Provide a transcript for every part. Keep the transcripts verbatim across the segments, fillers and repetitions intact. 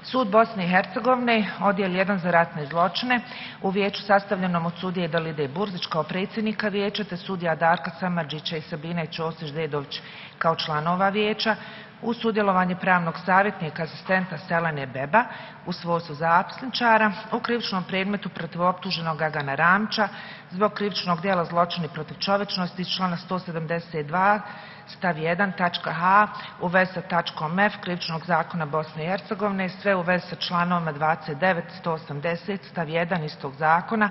Sud Bosne i Hercegovine, odjel jedan za ratne zločine, u vijeću sastavljenom od sudije Dalide Burzić kao predsjednika vijeća, te sudija Darka Samardžića i Sabine Ćosić-Dedović kao članova vijeća, uz sudjelovanje pravnog savjetnika asistenta Selene Beba u svojstvu zapisničara u krivičnom predmetu protiv optuženog Agana Ramića zbog krivičnog djela zločini protiv čovječnosti iz člana sto sedamdeset dva stav jedan tačka h u vezi sa tačkom f krivičnog zakona Bosne i Hercegovine, sve u vezi sa članovima dvadeset devet, sto osamdeset stav jedan istog zakona,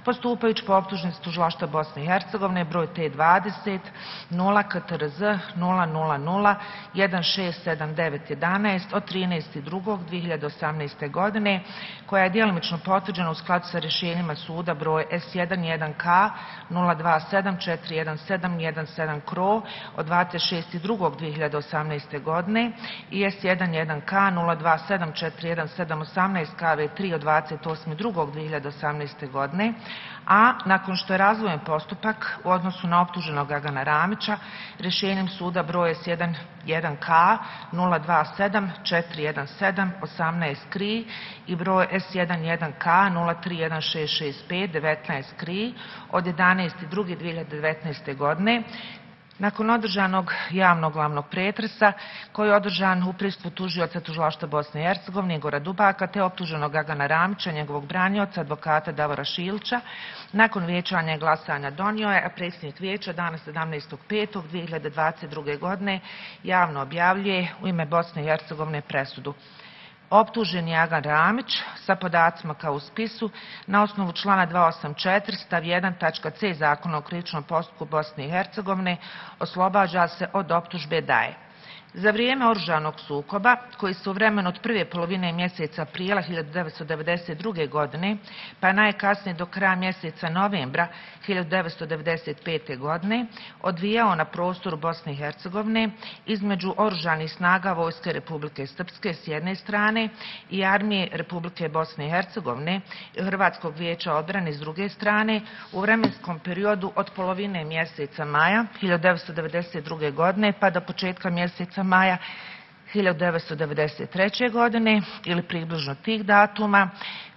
postupajući po optužnici Tužilaštva Bosne i Hercegovine broj T dvadeset nula K T R Z nula nula nula jedan šest sedam devet jedanaest od trinaestog drugog dve hiljade osamnaeste. godine, koja je djelimično potvrđena u skladu sa rješenjima suda broj S jedan jedan K nula dva sedam četiri jedan sedam jedan sedam K R O od dvadeset šestog drugog dve hiljade osamnaeste. godine i S jedan jedan K nula dva sedam četiri jedan sedam osamnaest K V tri od dvadeset osmog drugog dve hiljade osamnaeste. godine, a nakon što je razvojen postupak u odnosu na optuženog Agana Ramića rješenjem suda broj S jedan jedan K nula dva sedam četiri jedan sedam osamnaest K R I i broj S jedan jedan K nula tri jedan šest šest pet devetnaest K R I od jedanaestog drugog dve hiljade devetnaeste. godine, nakon održanog javnog glavnog pretresa, koji je održan u prisustvu tužioca Tužilaštva Bosne i Hercegovine Igora Dubaka, te optuženog Agana Ramića, njegovog branioca, advokata Davora Šilića, nakon vijećanja i glasanja donio je, a predsjednik vijeća dana sedamnaestog petog dve hiljade dvadeset druge. godine javno objavljuje u ime Bosne i Hercegovine presudu. Optuženi Agan Ramić sa podacima kao u spisu na osnovu člana dvesta osamdeset četiri stav jedan tačka c Zakona o krivičnom postupku Bosne i Hercegovine oslobađa se od optužbe da je za vrijeme oružanog sukoba, koji se u vremenu od prve polovine mjeseca aprila hiljadu devetsto devedeset druge. godine, pa najkasnije do kraja mjeseca novembra hiljadu devetsto devedeset pete. godine, odvijao na prostoru Bosne i Hercegovine između oružanih snaga Vojske Republike Srpske s jedne strane i Armije Republike Bosne i Hercegovine i Hrvatskog vijeća odbrane s druge strane u vremenskom periodu od polovine mjeseca maja hiljadu devetsto devedeset druge. godine pa do početka mjeseca maja hiljadu devetsto devedeset treće. godine ili približno tih datuma,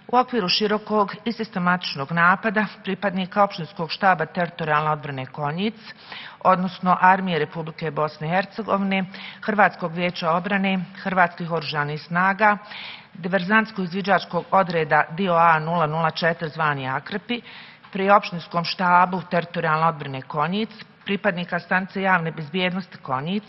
u okviru širokog i sistematičnog napada pripadnika opštinskog štaba teritorijalne odbrane Konjic, odnosno Armije Republike Bosne i Hercegovine, Hrvatskog vijeća odbrane, Hrvatskih oružanih snaga, diverzantsko-izviđačkog odreda D O A nula nula četiri zvani Akrepi, pri opštinskom štabu teritorijalne odbrane Konjic, pripadnika stanice javne bezbjednosti Konjic,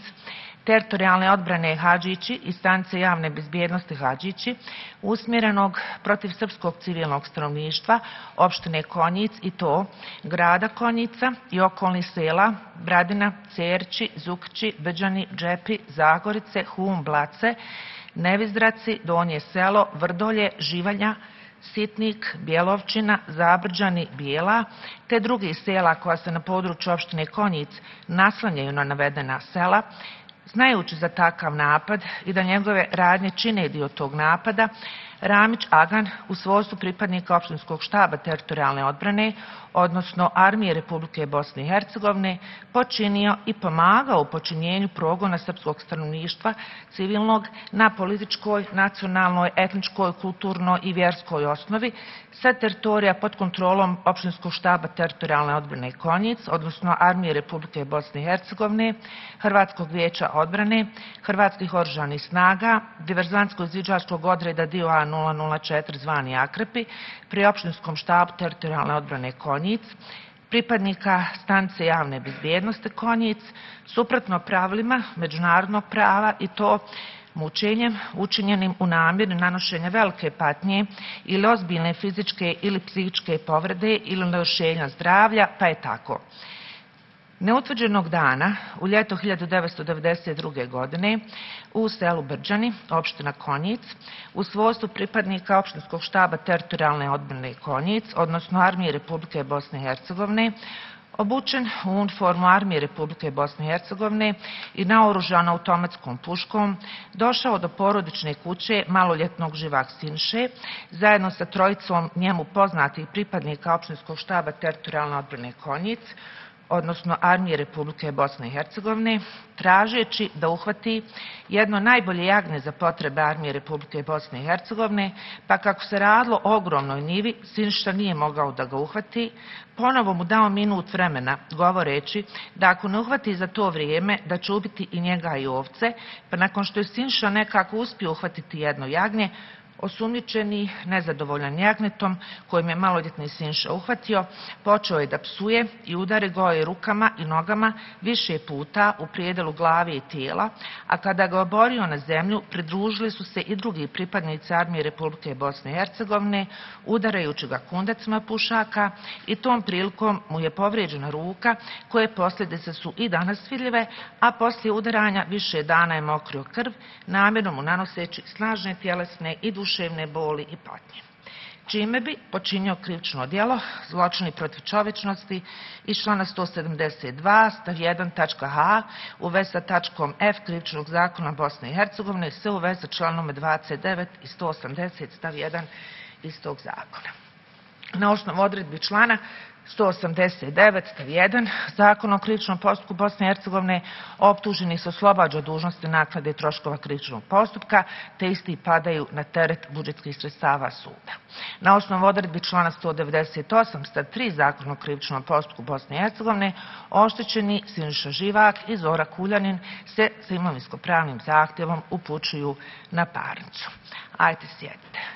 teritorijalne odbrane Hadžići i stanice javne bezbjednosti Hadžići, usmjerenog protiv srpskog civilnog stanovništva opštine Konjic i to grada Konjica i okolnih sela Bradina, Cerći, Zukći, Brđani, Džepi, Zagorice, Hum, Blace, Nevizdraci, Donje selo, Vrdolje, Živalja, Sitnik, Bjelovčina, Zabrđani, Bijela, te drugih sela koja se na području opštine Konjic naslanjaju na navedena sela. Znajući za takav napad i da njegove radnje čine dio tog napada, Ramić Agan u svojstvu pripadnika opštinskog štaba teritorijalne odbrane, odnosno Armije Republike Bosne i Hercegovine, počinio i pomagao u počinjenju progona srpskog stanovništva civilnog na političkoj, nacionalnoj, etničkoj, kulturnoj i vjerskoj osnovi sa teritorija pod kontrolom opštinskog štaba teritorijalne odbrane Konjic, odnosno Armije Republike Bosne i Hercegovine, Hrvatskog vijeća odbrane, Hrvatskih oružanih snaga, diverzantsko-izviđačkog odreda D O A nula nula četiri zvani Akrepi, pri opštinskom štabu teritorijalne odbrane Konjic, pripadnika stanice javne bezbjednosti Konjic, suprotno pravilima međunarodnog prava i to mučenjem učinjenim u namjeri nanošenja velike patnje ili ozbiljne fizičke ili psihičke povrede ili narušenja zdravlja, pa je tako. Neutvrđenog dana, u ljeto hiljadu devetsto devedeset druge. godine, u selu Brđani, opština Konjic, u svojstvu pripadnika opštinskog štaba teritorijalne odbrane Konjic, odnosno Armije Republike Bosne i Hercegovine, obučen u uniformu Armije Republike Bosne i Hercegovine i naoružan automatskom puškom, došao do porodične kuće maloljetnog Živak Sinše, zajedno sa trojicom njemu poznatih pripadnika opštinskog štaba teritorijalne odbrane Konjic, odnosno Armije Republike Bosne i Hercegovine, tražeći da uhvati jedno najbolje jagnje za potrebe Armije Republike Bosne i Hercegovine, pa kako se radilo o ogromnoj njivi, Siniša nije mogao da ga uhvati, ponovo mu dao minut vremena, govoreći da ako ne uhvati za to vrijeme, da će ubiti i njega i ovce, pa nakon što je Siniša nekako uspio uhvatiti jedno jagnje, osumnjičeni, nezadovoljan jagnjetom kojim je maloljetni Siniša uhvatio, počeo je da psuje i udari ga je rukama i nogama više puta u prijedelu glave i tijela, a kada ga oborio na zemlju, pridružili su se i drugi pripadnici Armije Republike Bosne i Hercegovine, udarajući ga kundacima pušaka, i tom prilikom mu je povrijeđena ruka, koje posljedice su i danas vidljive, a poslije udaranja više dana je mokrio krv, namjerno mu nanoseći snažne tjelesne i duševne boli i patnje, čime bi počinio krivično djelo zločini protiv čovječnosti iz člana sto sedamdeset dva stav jedan tačka h u vezi sa tačkom f Krivičnog zakona Bosne i Hercegovine, sve u vezi sa članom dvadeset devet i sto osamdeset stav jedan istog zakona. Na osnovu odredbi člana sto osamdeset devet stav jedan Zakona o krivičnom postupku Bosne i Hercegovine, optuženi se oslobađa od dužnosti naknade troškova krivičnog postupka, te isti padaju na teret budžetskih sredstava suda. Na osnovu odredbi člana sto devedeset osam stav tri Zakona o krivičnom postupku Bosne i Hercegovine, oštećeni Siniša Živak i Zora Kuljanin se sa imovinsko-pravnim zahtjevom upućuju na parnicu. Ajde, sjedite.